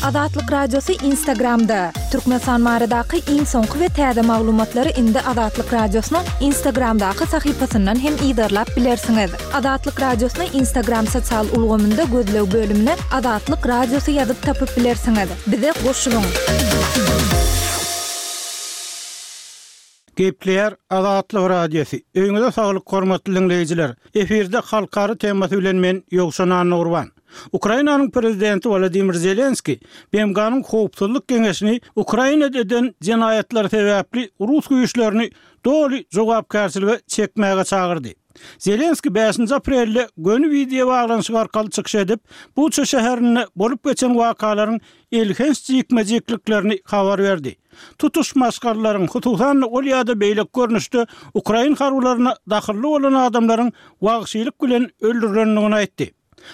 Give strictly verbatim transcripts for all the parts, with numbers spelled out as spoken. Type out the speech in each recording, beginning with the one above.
Azatlyk Radiosy Instagramda! Türkmenistan baradaky iň soňky we täze maglumatlary indi Azatlyk Radiosynyň Instagramdaky sahypasyndan hem yzarlap bilersiňiz. Azatlyk Radiosyny Instagram sosial ulgamynda gözleg bölümine Azatlyk Radiosy ýazyp tapyp bilersiňiz. Bize goşulyň! Gepleýär Azatlyk Radiosy. Öýüňize saglyk hormatly diňleýjiler. Efirde halkara temasy bilen men Ýowşan Annagurban. Ukrainanyň prezidenti Wladimir Zelenski B M G-nyň Howpsuzlyk Geňeşini Ukrainada eden jenaýatlary sebäpli rus güýçlerini doly jogapkärçilige çekmäge çagyrdy. Zelenski bäşinji aprelde göni wideo baglanyşyk arkaly çykyş edip, Buça şäherinde bolup geçen wakalaryň elhenç jikme-jikliklerini habar berdi. Tutuş maşgalalaryň, hususan-da ol ýa-da beýleki görnüşde ukrain harbylaryna dahylly bolan adamlaryň wagşylyk bilen öldürilendigini aýtdy.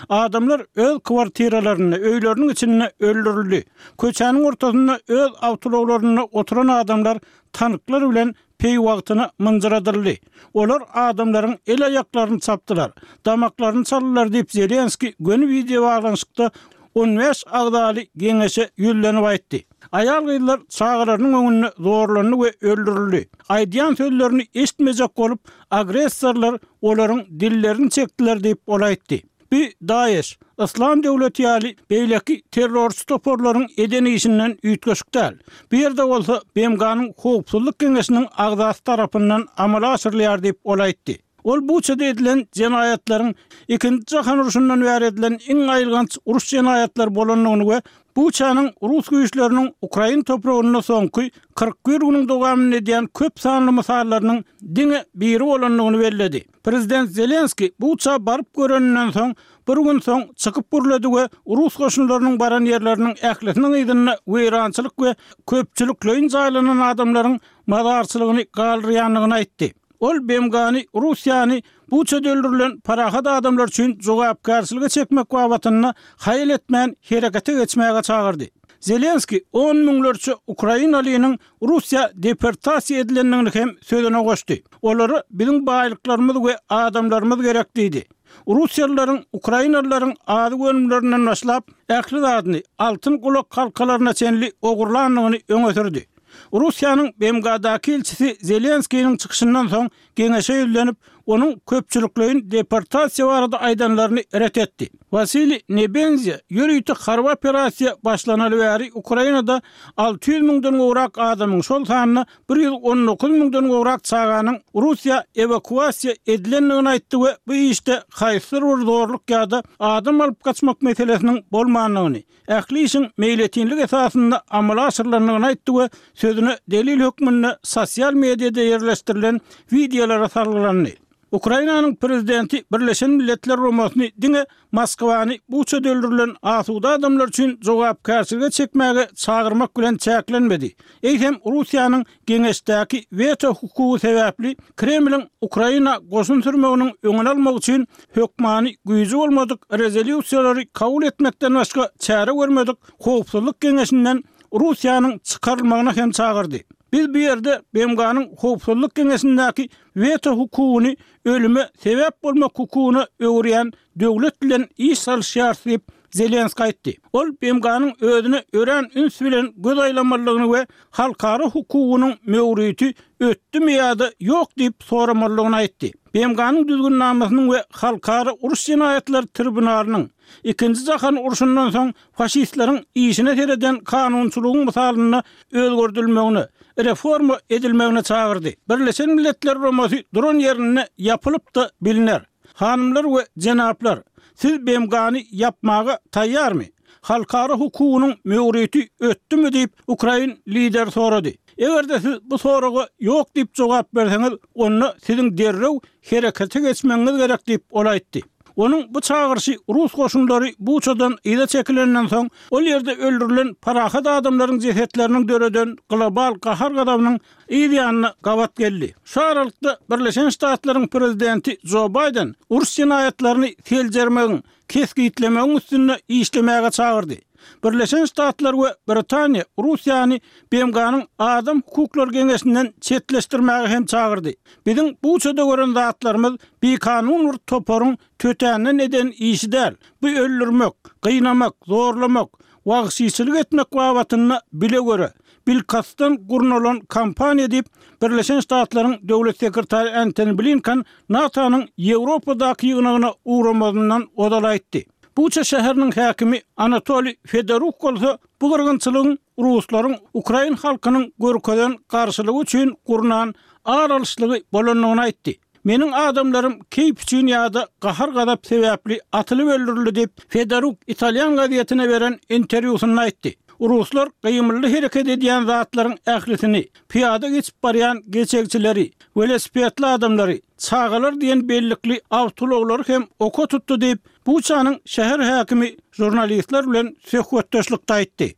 Adamlar öz kwartiralarynda, öýleriniň içinde öldürildi. Köçäniň ortasynda öz awtoulaglarynda oturan adamlar tanklar bilen peýwagtyna mynjyradyldy. Olar adamlaryň el-aýaklaryny çapdylar, damaklaryny çaldylar diýip, Zelenski göni wideo baglanyşykda on bäş agzaly geňeşe ýüzlenip aýtdy. Aýal-gyzlar çagalarynyň öňünde zorlandy we öldürildi. Aýdýan sözlerini eşitmejek bolup, agressorlar olaryň dillerini çekdiler diýip, ol aýtdy. Bu DAEŞ, Yslam döwleti ýaly beýleki terrorçy toparlaryň eden işinden üýtgeşik däl. Bu ýerde bolsa B M G-nyň Howpsuzlyk Geňeşiniň agzasy tarapyndan amala aşyrylýar diýip, ol aýtdy. Ol Buçada edilen jenaýatlaryň Ikinji jahan urşundan bäri edilen iň aýylganç uruş jenaýatlary bolandygyny we Buçanyň rus güýçleriniň ukrain topragynda soňky kyrk bir günüň dowamynda edýän köp sanly mysallarynyň diňe biri bolandygyny belledi. Prezident Zelenski Buça baryp göreninden soň bir gün soň çykyp gürledi we rus goşunlarynyň baran ýerleriniň ählisiniň yzynda weýrançylyk we köpçülikleýin jaýlanan adamlaryň mazarçylygyny galdyrýandygyny aýtdy. Ol B M G-ny Russiýany Buçada öldürilen parahat adamlar üçin jogapkärçilige çekmek babatynda haýal etmän herekete geçmäge çagyrdy. Zelenski on müňlerçe ukrainalynyň Russiýa deportasiýa edilendigini hem sözüne goşdy. Olara biziň baýlyklarymyz we adamlarymyz gerek diýdi. Russiýalylaryň ukrainalylaryň azyk önümlerinden başlap ähli zadyny altyn gulak halkalaryna çenli ogurlandygyny öňe sürdi. Russiýanyň B M G-daky ilçisi Zelenskiniň çykyşyndan soň geňeşe ýüzlenip, onuň köpçülikleýin deportasiýa barada aýdanlaryny ret etdi. Wasiliý Nebenzia ýörite harby operasiýa başlanaly bäri Ukrainada alty ýüz müňden gowrak adamyň, şol sanda bir ýüz on dokuz müňden gowrak çaganyň Russiýa ewakuasiýa edilendigini aýtdy we bu işde haýsydyr bir zorluk ýa-da adam alyp gaçmak meselesiniň bolmandygyny, ähli işiň meýletinlik esasynda amala aşyrylandygyny aýtdy we sözüne delil hökmünde sosial mediada ýerleşdirilen wideolara salgylandy. Ukrainanyň prezidenti Birleşen Milletler Guramasyny diňe Moskwany Buçada öldürilen asuda adamlar üçin jogapkärçilige çekmäge çagyrmak bilen çäklenmedi. Eýsem Russiýanyň geňeşdäki weto hukugy sebäpli Kremliň Ukraina goşun sürmeginiň öňüni almak üçin hökmany güýji bolmadyk rezolýusiýalary kabul etmekden başga çäre görmedik Howpsuzlyk Geňeşinden Russiýanyň çykarylmagyna hem çagyrdy. Biz bu ýerde B M G-nyň Howpsuzlyk Geňeşindäki weto hukugyny ölüme sebäp bolmak hukugyna öwürýän döwlet bilen iş salyşýarys diýip Zelenski aýtdy. Ol B M G-nyň özüne örän üns bilen göz aýlamalydygyny we halkara hukugynyň möwriti ötdümi ýa-da ýok diýip soramalydygyny aýtdy. B M G-nyň düzgünnamasynyň we halkara uruş jenaýatlary tribunalynyň Ikinji jahan urşundan soň faşistleriň işine sereden kanunçylygyň mysalynda özgerdilmegine, reforma edilmegine çagyrdy. Birleşen Milletler Guramasy duran ýerinde ýapylyp-da biliner. Hanymlar we jenaplar, siz B M G-ny ýapmaga taýýarmy? Halkara hukugynyň möwriti ötdümi diýip ukrain lideri sorady. Eger-de siz bu soraga ýok diýip jogap berseňiz, onda siziň derrew herekete geçmegiňiz gerek diýip ol aýtdy. Onuň bu çagyryşy rus goşunlary Buçadan yza çekilenden soň ol ýerde öldürilen parahat adamlaryň jesetleriniň döreden global gahar-gazabynyň yz ýanyna gabat geldi. Şu aralykda Birleşen Ştatlaryň prezidenti Jo Baýden uruş jenaýatlaryny seljermegiň, kesgitlemegiň üstünde işlemäge çagyrdy. Birleşen Ştatlar we Britaniýa Russiýany B M G-nyň Adam hukuklary geňeşinden çetleşdirmäge hem çagyrdy. Biziň Buçada gören zatlarymyz bikanun bir toparyň tötänden eden işi däl. Bu öldürmek, gynamak, zorlamak, wagşyçylyk etmek babatynda bile göre, bilkastdan gurnalan kampaniýa diýip, Birleşen Ştatlaryň Döwlet sekretary Antony Blinken NATO-nyň Ýewropadaky ýygnagyna ugramazyndan ozal aýtdy. Buça şäheriniň häkimi Anatoliý Fedoruk bolsa bu gyrgynçylygyň ruslaryň ukrain halkynyň görkezen garşylygy üçin gurnan ar alyşlygy bolandygyny aýtdy. Meniň adamlarym keýp üçin ýa-da gahar-gazap sebäpli atylyp öldürildi diýip, Fedoruk italýan gazetine beren interwýusynda aýtdy. Ruslar gymylly hereket edýän zatlaryň ählisini, pyýada geçip barýan geçegçileri, welosipedli adamlary, çagalar diýen bellikli awtoulaglary hem oka tutdy diýip, Buçanyň şäher häkimi žurnalistler bilen söhbetdeşlikde aýtdy.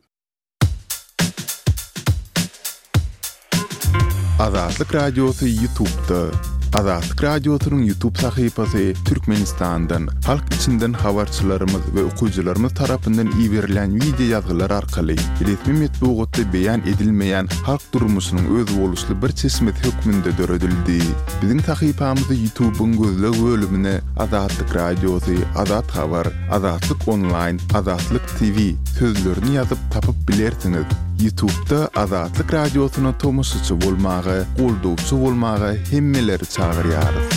Azatlyk Radiosy YouTube'da. Azatlyk Radiosynyň YouTube sahypasy Türkmenistandan, halk içinden habarçylarymyz we okyjylarymyz tarapyndan iberilen wideo ýazgylar arkaly resmi metbugatda beýan edilmeýän halk durmuşynyň özboluşly bir çeşmesi hökmünde döredildi. Biziň sahypamyzy YouTube'yň gözleg bölümine Azatlyk Radiosy, Azat Habar, Azatlyk Online, Azatlyk T V sözlerini ýazyp tapyp bilersiňiz. YouTube'da Azatlyk Radiosyna tomaşaçy bolmaga, goldawçy bolmaga hemmeleri çagyrýarys.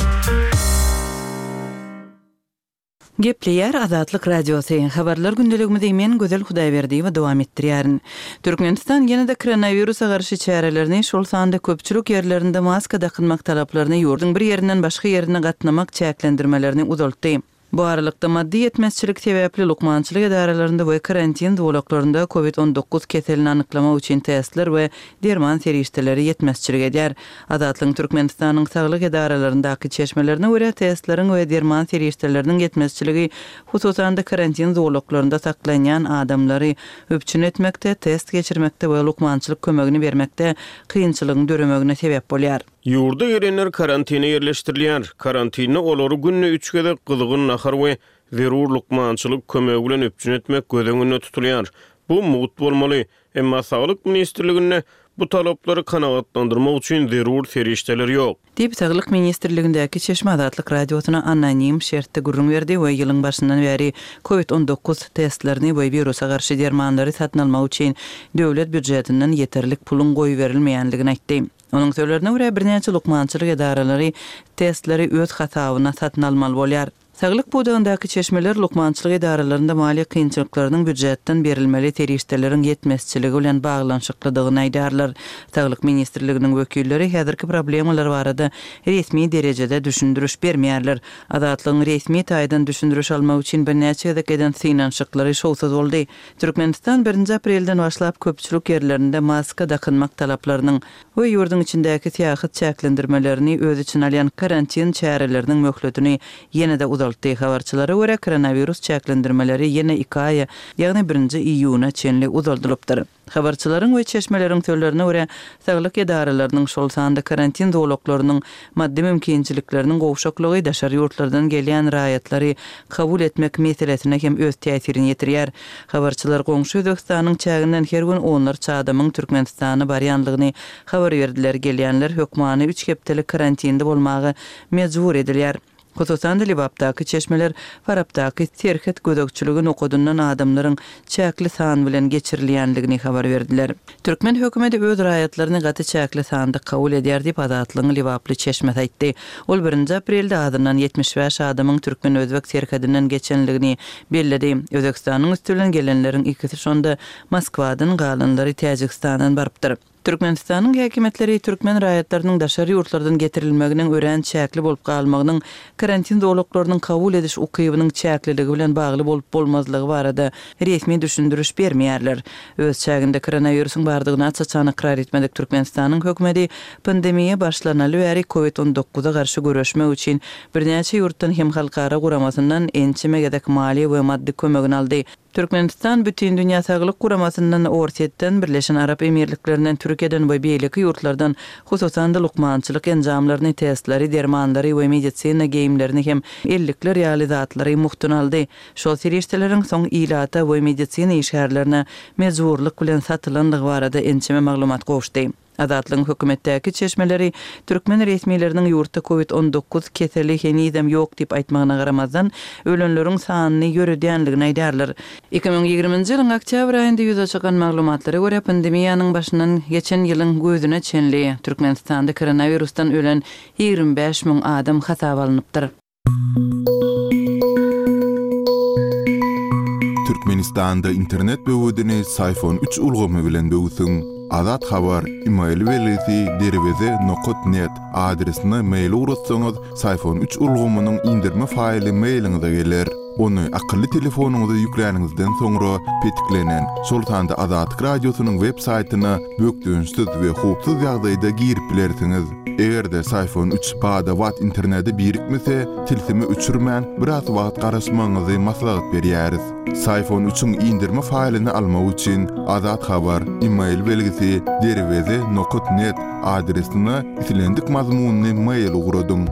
Gepleýär Azatlyk Radiosy. Habarlar gündeligimizi men Gözel Hudaýberdiýewa dowam etdirýärin. Türkmenistan ýene-de koronawirusa garşy çärelerini, şol sanda köpçülik ýerlerinde maska dakynmak talaplaryny ýurduň bir ýerinden başga ýerine gatnamak çäklendirmelerini uzaltdy. Bu aralykda maddy ýetmezçilik sebäpli lukmançylyk edaralarynda we karantin zolaklarynda kovid on dokuz keselini anyklamak üçin testler we derman serişdeleri ýetmezçilik edýär. Azatlygyň Türkmenistanyň saglyk edaralaryndaky çeşmelerine görä testleriň we derman serişdeleriniň ýetmezçiligi hususan-da karantin zolaklarynda saklanýan adamlary üpjün etmekde, test geçirmekde we lukmançylyk kömegini bermekde kynçylygyň döremegine sebäp bolýar. Ýurda gelenler karantine ýerleşdirilýär. Karantinde olary günde üç gezek gyzgyn nahar we zerur lukmançylyk kömegi bilen üpjün etmek göz öňünde tutulýar. Bu mugt bolmaly. Emma Saglyk ministrliginde bu talaplary kanagatlandyrmak üçin zerur serişdeler ýok. Diýip Saglyk ministrligindäki Çeşme Azatlyk Radiosyna anonim şertde gürrüň berdi we ýylyň başyndan bäri kovid on dokuz testlerini we wirusa garşy dermanlary satyn almak üçin döwlet býujetinden ýeterlik puluň goýberilmeýänligini aýtdy. Onuň sözlerine görä birnäçe lukmançylyk edaralary testleri öz hasabyna satyn almaly bolýar. Saglyk pudagyndaky çeşmeler lukmançylyk edaralarynda maliýe kynçylyklarynyň býujetden berilmeli serişdeleriň ýetmezçiligi bilen baglanyşyklydygyny aýdarlar. Saglyk ministrliginiň wekilleri häzirki problemalar barada resmi derejede düşündiriş bermeýärler. Azatlygyň resmi taýdan düşündiriş almak üçin birnäçe gezek eden synanyşyklary şowsuz boldy. Türkmenistan birinji aprelden başlap köpçülik ýerlerinde maska dakynmak talaplarynyň we ýurduň içindäki syýahat çäklendirmelerini öz içine alýan karantin çäreleriniň möhletini ýene-de uzaltdy. Habarçylara görä koronavirus çäklendirmeleri ýene iki aýa, ýagny birinji iýuna çenli uzaldylypdyr. Habarçylaryň we çeşmeleriň sözlerine görä saglyk edaralarynyň şol sanda karantin zolaklarynyň maddy mümkinçilikleriniň gowşaklygy daşary ýurtlardan gelýän raýatlary kabul etmek meselesine hem öz täsirini ýetirýär. Habarçylar goňşy Özbekistanyň çäginden her gün onlarça adamyň Türkmenistana barýanlygyny habar berdiler. Gelýänler hökmany üç hepdelik karantinde bolmaga mejbur edilýär. Hususan-da Lebapdaky çeşmeler Farapdaky serhet gözegçiligi nokadyndan adamlaryň çäkli san bilen geçirilýänligini habar berdiler. Türkmen hökümeti öz raýatlaryny gaty çäkli sanda kabul edýär diýip Azatlygyň Lebaply çeşmesi aýtdy. Ol birinji aprelde azyndan ýetmiş bäş adamyň Türkmen-Özbek serhedinden geçenligini belledi. Özbekistanyň üstü bilen gelenleriň ikisi şonda Moskwadan galanlary Täjigistandan barypdyr. Türkmenistanyň häkimiýetleri türkmen raýatlarynyň daşary ýurtlardan getirilmeginiň örän çäkli bolup galmagynyň karantin zolaklarynyň kabul ediş ukybynyň çäkliligi bilen bagly bolup bolmazlygy barada resmi düşündiriş bermeýärler. Öz çäginde koronawirusyň bardygyny aç-açan ykrar etmedik Türkmenistanyň hökümeti pandemiýa başlanaly bäri kovid on dokuza garşy göreşmek üçin birnäçe ýurtdan hem halkara guramasyndan ençeme gezek maliýe we maddy kömegini aldy. Türkmenistan Bütün Dünya Saglyk Guramasyndan, Orsýetden, Birleşen Arap Emirliklerinden, Türkiýeden we beýleki ýurtlardan hususan-da lukmançylyk enjamlaryny, testleri, dermanlary we medisina geýimlerini hem ellikler ýaly zatlary muhtun aldy. Şol serişdeleriň soň ilata we medisina işgärlerine mejburlyk bilen satylanlygy barada ençeme maglumat gowuşdy. Azatlygyň hökümetdäki çeşmeleri türkmen resmileriniň ýurtda Covid on dokuz keseli henizem ýok diýip aýtmagyna garamazdan, ölenleriň sanyny ýöredýändigini aýdýarlar. Iki müň ýigriminji ýylyň oktýabr aýynda ýüze çykan maglumatlara görä, pandemiýanyň başyndan geçen ýylyň güýzüne çenli Türkmenistanda koronawirusdan ölen ýigrimi bäş müň adam hasaba alnypdyr. Türkmenistanda internet böwedini Syfon üç ulgamy bilen böwsüň. Azat Habar, e-mail belgisi derweze nokat net adresine mail ugratsaňyz, Syfon üç ulgamynyň indirme faýly mailiňize geler. Ony akylly telefonyňyza ýükläniňizden soňra petiklenen, şol sanda Azatlyk Radiosynyň web saýtyna bökdençsiz we howpsuz ýagdaýda girip bilersiňiz. Eger-de Syfon üç bada-bat internete birikmese, tilsimi öçürmän biraz wagt garaşmagyňyzy maslahat berýäris. Syfon üçiň indirme faýlyny almak üçin Azat Habar, e-mail belgisi derweze nokat net adresine islendik mazmunyny mail ugradyň.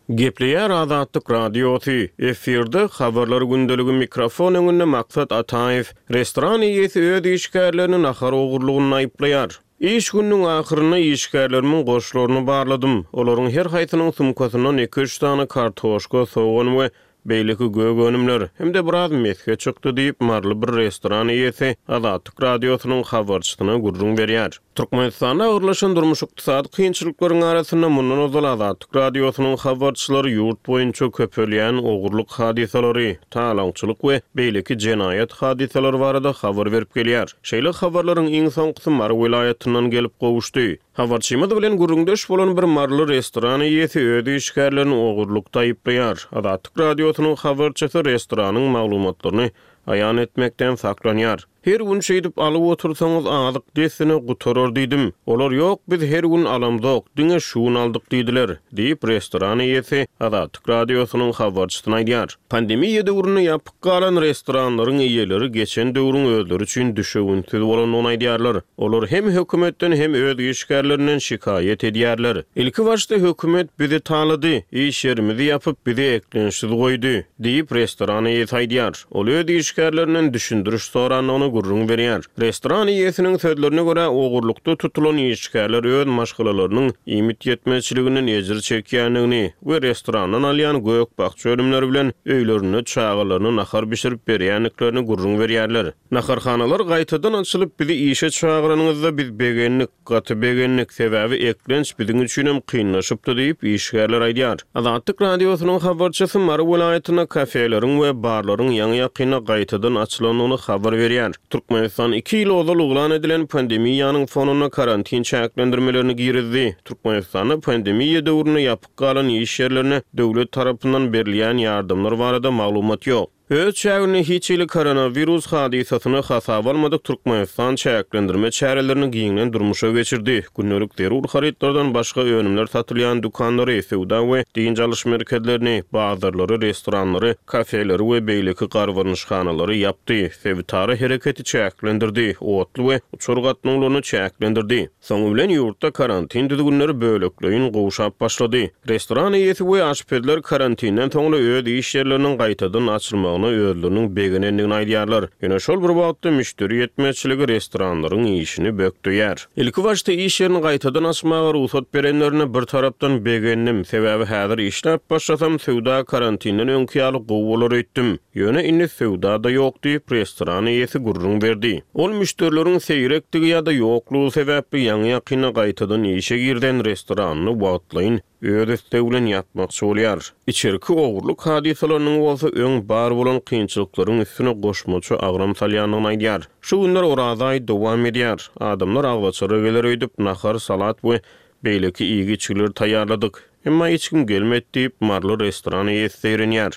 Gepleýär Azatlyk Radiosy. Efirde habarlar gündeligi mikrofon öňünde Maksat Ataýew. Restoran eýesi öz işgärlerini nahar ogurlygyny aýyplaýar. Iş gününiň ahyrynda işgärlerimiň goşlaryny barladym. Olaryň her haýsynyň sumkasyndan iki üç sany kartoşka, sogan we beýleki gök önümler hem-de biraz mesge çykdy diýip, Maryly bir restoran eýesi Azatlyk Radiosynyň habarçysyna gürrüň berýär. Türkmenistanda agyrlaşan durmuş ykdysady kynçylyklaryň arasynda mundan ozal Azatlyk Radiosynyň habarçylary ýurt boýunça köpelýän ogurlyk hadysalary, talaňçylyk we beýleki jenaýat hadysalary barada habar berip gelýär. Şeýle habarlaryň iň soňkusy Mary welaýatyndan gelip gowuşdy. Habarçymyz bilen gürrüňdeş bolan bir Maryly restoran eýesi öz işgärlerini ogurlykda aýyplaýar. Azatlyk Radiosynyň habarçysy restoranyň maglumatlaryny aýan etmekden saklanýar. Her gün şeýdip alyp otursaňyz azyk dessine gutarar diýdim. Olar ýok, biz her gün alamzok, diňe şu gün aldyk diýdiler, diýip restoran eýesi Azatlyk Radiosynyň habarçysyna aýdýar. Pandemiýa döwründe ýapyk galan restoranlaryň eýeleri geçen döwrüň özleri üçin düşewünsiz bolandygyny aýdýarlar. Olar hem hökümetden hem öz işgärlerinden şikaýat edýärler. Ilki başda hökümet bizi talady, iş ýerimizi ýapyp bizi eklençsiz goýdy, diýip restoran eýesi aýdýar. Ol öz işgärlerinden düşündiriş sorandygyny gürrüň berýär. Restoran eýesiniň sözlerine görä ogurlykda tutulan işgärler öz maşgalalarynyň iýmit ýetmezçiliginden ejir çekýändigini we restorandan alýan gök-bakja önümleri bilen öýlerinde çagalaryna nahar bişirip berýändiklerini gürrüň berýärler. Naharhanalar gaýtadan açylyp bizi işe çagyranyňyzda biz begendik, gaty begendik, sebäbi eklenç biziň üçinem kynlaşypdy diýip işgärler aýdýar. Azatlyk Radiosynyň habarçysy Mary welaýatynda kafeleriň we barlaryň ýaňy-ýakynda gaýtadan açylandygyny habar berýär. Türkmenistan iki ýyl ozal yglan edilen pandemiýanyň fonunda karantin çäklendirmelerini girizdi. Türkmenistanda pandemiýa döwründe ýapyk galan iş ýerlerine döwlet tarapyndan berilýän ýardamlar barada maglumat ýok. Öz çäginde hiç hili koronawirus hadysasyny hasaba almadyk Türkmenistan çäklendirme çärelerini giňden durmuşa geçirdi. Gündelik zerur harytlardan başga önümler satylýan dükanlary, söwda we dynç alyş merkezlerini, bazarlary, restoranlary, kafeleri we beýleki garbarnyşhanalary ýapdy. Sebitara hereketi çäklendirdi, otly we uçar gatnawlaryny çäklendirdi. Soňy bilen ýurtda karantin düzgünleri bölekleýin gowşap başlady. Restoran eýesi we aşpezler karantinden soňra öz iş ýerleriniň gaýtadan açylmagyna özleriniň begenendigini aýdýarlar. Ýöne şol bir wagtda müşderi ýetmezçiligi restoranlaryň işini bökdeýär. Ilki başda iş ýerini gaýtadan açmaga rugsat berenlerine bir tarapdan begendim. Sebäbi häzir işläp başlasam söwda karantinden öňki ýaly gowy bolar öýtdüm. Ýöne indi söwda da ýok diýip restoran eýesi gürrüň berdi. Ol müşderileriň seýrekdigi ýa-da ýoklugy sebäpli ýaňy-ýakynda gaýtadan işe girden restoranyny wagtlaýyn öz islegi bilen ýapmakçy bolýar. Içerki ogurlyk hadysalarynyň bolsa öň bar bolan kynçylyklaryň üstüne goşmaça agram salýandygyny aýdýar. Şu günler Oraza aýy dowam edýär. Adamlar agzaçara geler öýdüp nahar, salat we beýleki iýgi-içgileri taýýarladyk. Emma hiç kim gelmedi diýip Maryly restoran eýesi zeýrenýär.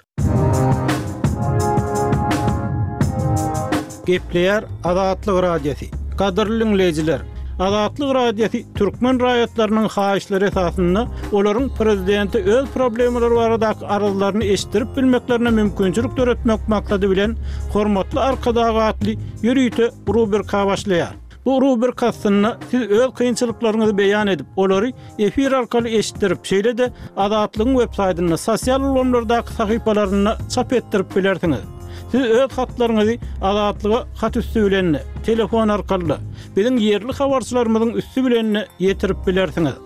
Gepleýär Azatlyk Radiosy. Gadyrly dinleýjiler, Azatlyk Radiosy türkmen raýatlarynyň haýyşlary esasynda olaryň prezidenti öz problemalary baradaky arzlaryny eşitdirip bilmeklerine mümkinçilik döretmek maksady bilen Hormatly Arkadag atly ýörite rubrika başlaýar. Bu rubrika aslynda siz öz kynçylyklaryňyzy beýan edip, olary efir arkaly eşitdirip, şeýle-de Azatlygyň web saýtynda, sosial ulgamlardaky sahypalarynda çap etdirip bilersiňiz. Siz öz hatlaryňyzy Azatlyga hat üstü bilen, telefon arkaly, biziň ýerli habarçylarymyzyň üstü bilen ýetirip bilersiňiz.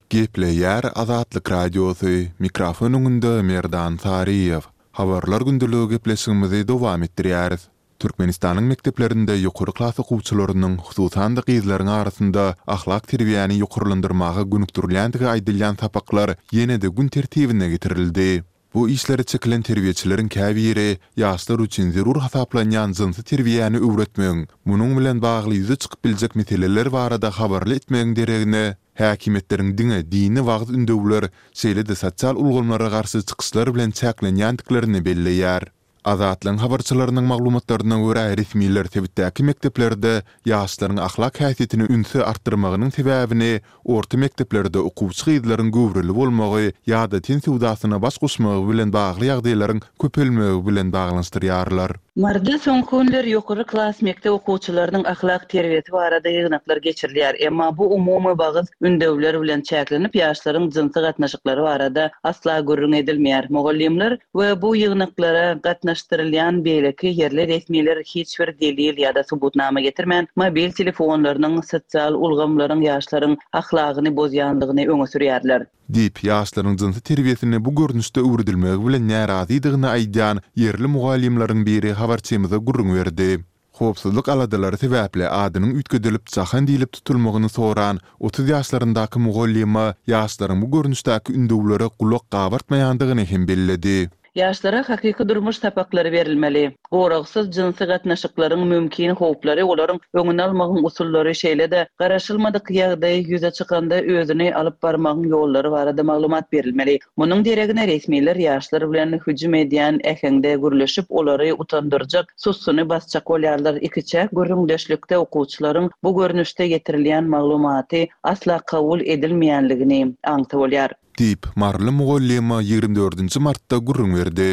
Gepleýär Azatlyk Radiosy, mikrofon öňünde Merdan Saryýew. Habarlar gündeligi gepleşigimizi dowam etdirýäris. Türkmenistanyň mekdeplerinde ýokary klas okuwçylarynyň, hususan-da gyzlaryň arasynda ahlak terbiýäni ýokarlandyrmaga gönükdirilýändigi aýdylýan sapaklar ýene-de gün tertibine getirildi. Bu işlere çekilen terbiýeçileriň käbiri ýaşlar üçin zerur hasaplanýan jynsy terbiýäni öwretmegiň, munuň bilen bagly ýüze çykyp biljek meseleler barada habarly etmegiň deregine, häkimiýetleriň diňe dini wagyz-ündewler, şeýle-de sosial ulgamlara garşy çykyşlar bilen çäklenýändiklerini belleýär. Azatlygyň habarçylarynyň maglumatlaryna görä, resmiler sebitdäki mekdeplerde ýaşlaryň ahlak häsiýetini ünsi artdyrmagynyň sebäbini orta mekdeplerde okuwçy gyzlaryň göwreli bolmagy ýa-da ten söwdasyna baş goşmagy bilen bagly ýagdaýlaryň köpelmegi bilen baglanyşdyrýarlar. Maryda soňky günler ýokary klas mekdep okuwçylarynyň ahlak terbiýesi barada ýygnaklar geçirilýär. Emma bu umumy wagyz ündewler bilen çäklenip, ýaşlaryň jynsy gatnaşyklary barada asla gürrüň edilmeýär. Mugallymlar we bu ýygnaklara gatnaşdyrylýan beýleki ýerli resmiler hiç bir delil ýa-da subutnama getirmän, mobil telefonlarynyň, sosial ulgamlaryň ýaşlaryň ahlagyny bozýandygyny öňe sürýärler. Diýip, ýaşlaryň jynsy terbiýesini bu görnüşde öwredilmegi bilen närazydygyny aýdýan ýerli mugallymlaryň biri habarçymyza gürrüň berdi. Howpsuzlyk aladalary sebäpli adynyň üýtgedilip Jahan diýlip tutulmagyny soran otuz ýaşlaryndaky mugallyma ýaşlaryň bu görnüşdäki ündewlere gulak gabartmaýandygyny hem belledi. Ýaşlara hakyky durmuş sapaklary berilmeli. Goragsyz jynsy gatnaşyklaryň mümkin howplary, olaryň öňüni almagyň usullary, şeýle-de garaşylmadyk ýagdaý ýüze çykanda özüni alyp barmagyň ýollary barada maglumat berilmeli. Munuň deregine resmiler ýaşlar bilen hüjüm edýän äheňde gürleşip, olary utandyrjak, sussuny basjak bolýarlar. Ikiçäk gürrüňdeşlikde okuwçylaryň bu görnüşde getirilýän maglumaty asla kabul edilmeýänligini aňsa bolýar. Diýip, maryly mugallyma ýigrimi dördünji martda gürrüň berdi.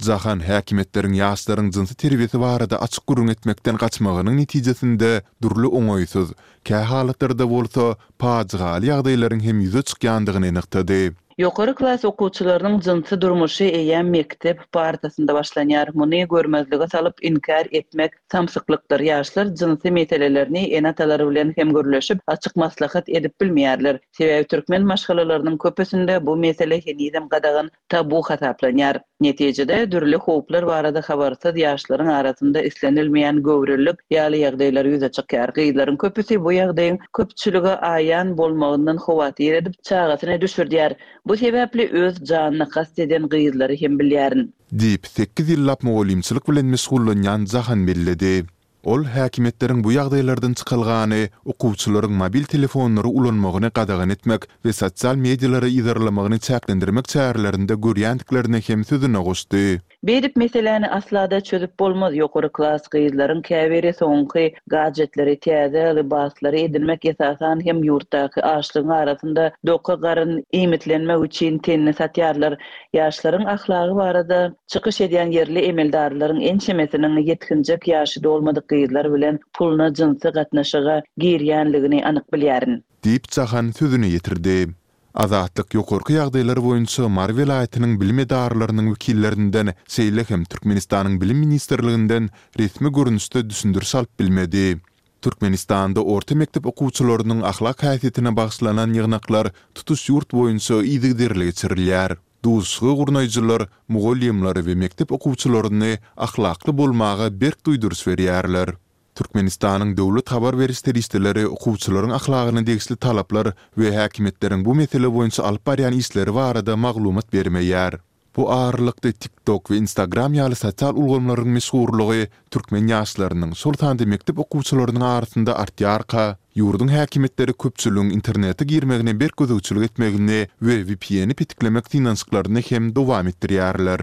Jahan häkimiýetleriň ýaşlaryň jynsy terbiýesi barada açyk gürrüň etmekden gaçmagynyň netijesinde dürli oňaýsyz, kä halatlarda bolsa pajygaly ýagdaýlaryň hem ýüze çykýandygyny nygtady. Ýokary klas okuwçylarynyň jynsy durmuşy eýýäm mekdep partasynda başlanýar. Muny görmezlige salyp inkär etmek samsyklykdyr. Ýaşlar jynsy meselelerini ene-atalary bilen hem gürleşip, açyk maslahat edip bilmeýärler. Sebäbi türkmen maşgalalarynyň köpüsinde bu mesele henizem gadagan tabu hasaplanýar. Netijede dürli howplar barada habarsyz ýaşlaryň arasynda islenilmeýän göwrelilik ýaly ýagdaýlar ýüze çykýar. Gyzlaryň köpüsi bu ýagdaýyň köpçülige aýan bolmagyndan howatyr edip, çagasyny düşürdýär. Bu sebäpli öz janyna kast eden gyzlary hem bilýärin. Diýip, sekiz ýyllap mugallymçylyk bilen meşgullanýan Jahan belledi. Ol häkimiýetleriň bu ýagdaýlardan çykalgany okuwçylaryň mobil telefonlary ulanmagyny gadagan etmek we sosial medialary yzarlamagyny çäklendirmek çärelerinde görýändiklerini hem sözüne goşdy. Beýdip meseläni asla-da çözüp bolmaz. Ýokary klas gyzlaryň käbiri soňky gadjetleri, täze lybaslary edinmek esasan hem ýurtdaky açlygyň arasynda doka garyn iýmitlenmek üçin tenini satýarlar. Ýaşlaryň ahlagy barada çykyş edýän ýerli emeldarlaryň ençemesiniň ýetginjek ýaşy dolmadyk gyzlar bilen puluna jynsy gatnaşyga girýänligini anyk bilýärin. Diýip, Jahan sözüni ýetirdi. Azatlyk ýokarky ýagdaýlar boýunça Mary welaýatynyň bilim edaralarynyň wekillerinden, şeýle hem Türkmenistanyň Bilim ministrliginden resmi görnüşde düşündiriş alyp bilmedi. Türkmenistanda orta mekdep okuwçylarynyň ahlak häsiýetine bagyşlanan ýygnaklar tutuş ýurt boýunça yzygiderli geçirilýär. Duşuşygy gurnaýjylar mugallymlary we mekdep okuwçylaryny ahlakly bolmaga berk duýduryş berýärler. Türkmenistanyň döwlet habar beriş serişdeleri okuwçylaryň ahlagyna degişli talaplar we häkimiýetleriň bu mesele boýunça alyp barýan işleri barada maglumat bermeýär. Bu aralykda TikTok we Instagram ýaly sosial ulgamlaryň meşhurlygy türkmen ýaşlarynyň, şol sanda mekdep okuwçylarynyň arasynda artýarka, ýurduň häkimiýetleri köpçüligiň internete girmegine berk gözegçilik etmegini we V P N-i petiklemek synanyşyklaryny hem dowam etdirýärler.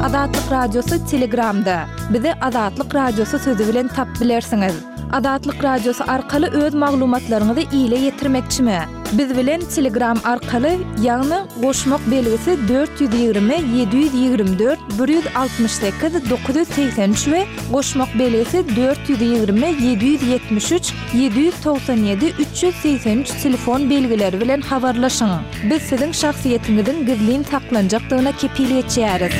Azatlyk Radiosy Telegramda. Bizi Azatlyk Radiosy sözi bilen tap bilersiňiz. Azatlyk Radiosy arkaly öz maglumatlaryňyzy ile ýetirmekçimi? Biz bilen Telegram arkaly, ýagny goşmak belgisi dört ýüz ýigrimi ýedi ýüz ýigrimi dört bir ýüz altmyş sekiz dokuz ýüz segsen üç we goşmak belgisi dört ýüz ýigrimi ýedi ýüz ýetmiş üç ýedi ýüz togsan ýedi üç ýüz segsen üç telefon belgileri bilen habarlaşyň. Biz siziň şahsyýetiňiziň gizlin saklanjakdygyna kepil geçýäris.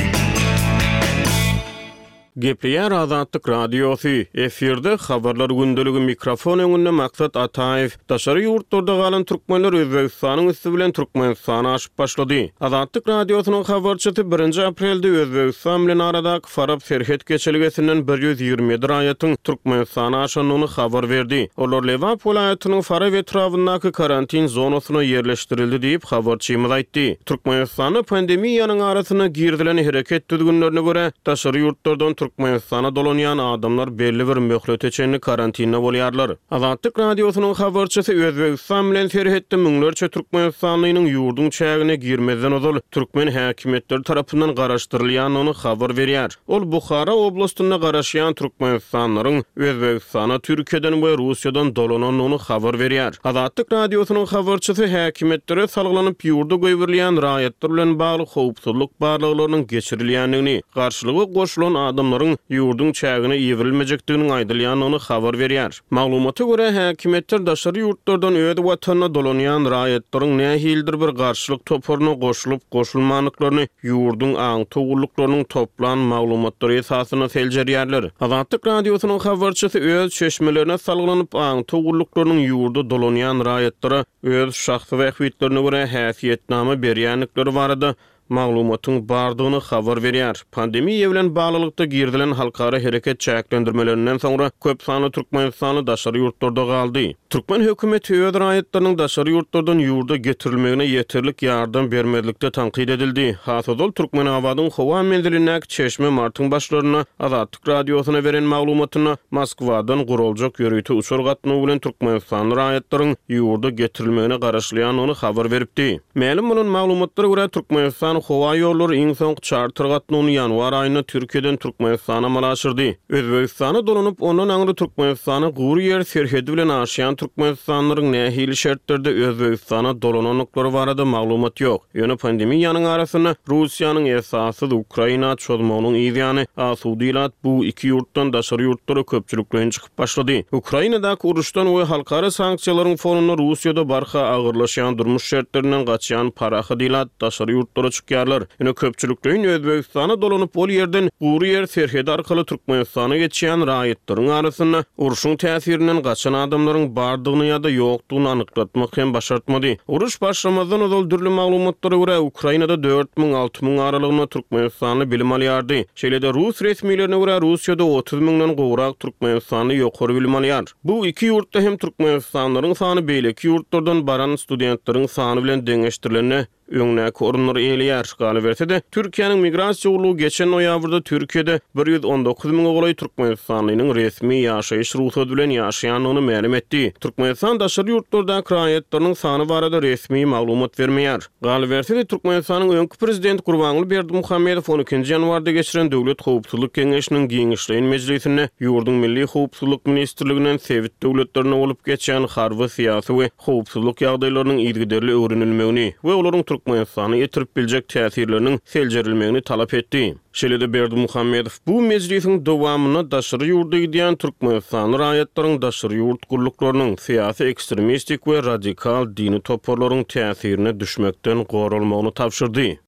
Gepleýär Azatlyk Radiosy, efirde Habarlar gündeligi, mikrofon öňünde Maksat Ataýew. Daşary ýurtlarda galan türkmenler Özbegistanyň üsti bilen Türkmenistana aşyp başlady. Azatlyk Radiosynyň habarçysy birinji aprelde Özbegistan bilen aradaky Farap serhet geçelgesinden bir ýüz ýigrimi ýedi raýatyň Türkmenistana aşandygyny habar berdi. Olar Lebap welaýatynyň Farap etrabyndaky karantin zonasyna ýerleşdirildi diýip, habarçymyz aýtdy. Türkmenistanda pandemiýanyň arasynda girizilen hereket düzgünlerine görä, daşary ýurtlardan Türkmenistana dolanýan adamlar belli bir möhlete çenli karantinde bolýarlar. Azatlyk Radiosynyň habarçysy Özbegistan bilen serhetde müňlerçe türkmenistanlynyň ýurduň çägine girmezden ozal türkmen häkimiýetleri tarapyndan garaşdyrylýandygyny habar berýär. Ol Buhara oblastynda garaşýan türkmenistanlylaryň Özbegistana Türkiýeden we Russiýadan dolanandygyny habar berýär. Azatlyk Radiosynyň habarçysy häkimiýetlere salgylanyp ýurda goýberilýän raýatlar bilen bagly howpsuzlyk barlaglarynyň geçirilýändigini, garşylyga goşulan adamlaryň ýurduň çägine iberilmejekdiginiň aýdylýandygyny habar berýär. Maglumata görä, häkimiýetler daşary ýurtlardan öz watanyna dolanýan raýatlaryň nähilidir bir garşylyk toparyna goşulyp goşulmandyklaryny ýurduň aňtaw gulluklarynyň toplan maglumatlary esasynda seljerýärler. Azatlyk Radiosynyň habarçysy öz çeşmelerine salgylanyp, aňtaw gulluklarynyň ýurda dolanýan raýatlara öz şahsy bähbitlerine görä häsiýetnama berýändikleri barada maglumatyň bardygyny habar berýär. Pandemiýa bilen baglylykda girizilen halkara hereket çäklendirmelerinden soňra köp sanly türkmenistanly daşary ýurtlarda galdy. Türkmen hökümeti öz raýatlarynyň daşary ýurtlardan ýurda getirilmegine ýeterlik ýardam bermezlikde tankyt edildi. Has ozal Türkmenabadyň howa menzilindäki çeşme martyň başlarynda Azatlyk Radiosyna beren maglumatynda Moskwadan guraljak ýörite uçar gatnawy bilen türkmenistanly raýatlaryň ýurda getirilmegine garaşylýandygyny habar beripdi. Mälim bolan maglumatlara görä, Türkmenistan howa ýollary iň soňky çarter gatnawyny ýanwar aýynda Türkiýeden Türkmenistana amala aşyrdy. Özbegistana dolanyp, ondan aňry Türkmenistana gury ýer serhedi bilen aşýan türkmenistanlylaryň nähili şertlerde Özbegistana dolanandyklary barada maglumat ýok. Ýöne pandemiýanyň arasynda Russiýanyň esassyz Ukraina çozmagynyň yzýany asuda ilat bu iki ýurtdan daşary ýurtlara köpçülikleýin çykyp başlady. Ukrainadaky uruşdan we halkara sanksiýalaryň fonunda Russiýada barha agyrlaşýan durmuş şertlerinden gaçýan parahat ilat daşary ýurtlara çykýarlar. Ýöne köpçülikleýin Özbegistana dolanyp, ol ýerden gury ýer serhedi arkaly Türkmenistana geçýän raýatlaryň arasynda urşuň täsirinden gaçan adamlaryň bardygyny ýa-da ýokdugyny anyklatmak hem başartmady. Uruş başlamazdan ozal dürli maglumatlara görä, Ukrainada dört müň alty müň aralygynda türkmenistanly bilim alýardy. Şeýle-de rus resmilerine görä, Russiýada otuz müňden gowrak türkmenistanly ýokary bilim alýar. Bu iki ýurtda hem türkmenistanlylaryň sany beýleki ýurtlardan baran studentleriň sany bilen deňeşdirilende öňdäki orunlary eýeleýär. Galyberse-de, Türkiýäniň migrasiýa gullugy geçen noýabrda Türkiýede bir ýüz on dokuz müňe golaý türkmenistanlynyň resmi ýaşaýyş rugsady bilen ýaşaýandygyny mälim etdi. Türkmenistan daşary ýurtlardaky raýatlarynyň sany barada resmi maglumat bermeýär. Galyberse-de, Türkmenistanyň öňki prezidenti Gurbanguly Berdimuhamedow on ikinji ýanwarda geçiren Döwlet howpsuzlyk geňeşiniň giňişleýin mejlisinde ýurduň Milli howpsuzlyk ministrliginden sebit döwletlerinde bolup geçýän harby, syýasy we howpsuzlyk ýagdaýlarynyň yzygiderli öwrenilmegini we olaryň Türkmenistana ýetirip biljek täsirleriniň seljerilmegini talap etdi. Şeýle-de Berdimuhamedow bu mejlisiň dowamynda daşary ýurda gidýän türkmenistanly raýatlaryň daşary ýurt gulluklarynyň, syýasy ekstremistik we radikal dini toparlaryň täsirine düşmekden goralmagyny tabşyrdy.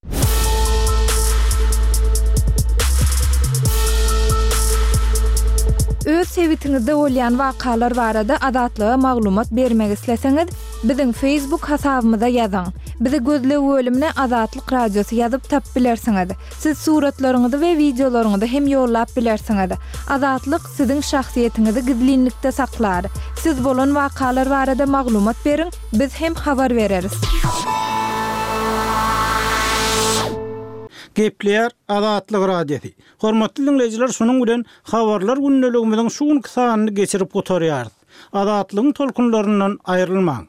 Öz sebitiňizde bolýan wakalar barada Azatlyga maglumat bermek isleseňiz, biziň Facebook hasabymyza ýazyň. Bizi gözleg bölümine Azatlyk Radiosy ýazyp tapyp bilersiňiz. Siz suratlaryňyzy we wideolaryňyzy hem ýollap bilersiňiz. Azatlyk siziň şahsyýetiňizi gizlinlikde saklar. Siz bolan wakalar barada maglumat beriň, biz hem habar bereris. Gepleýär Azatlyk Radiosy. Hormatly dinleýjiler, şunuň bilen habarlar gündeligimiziň şu günki sanyny geçirip gutarýarys. Azatlygyň tolkunlaryndan aýrylmaň.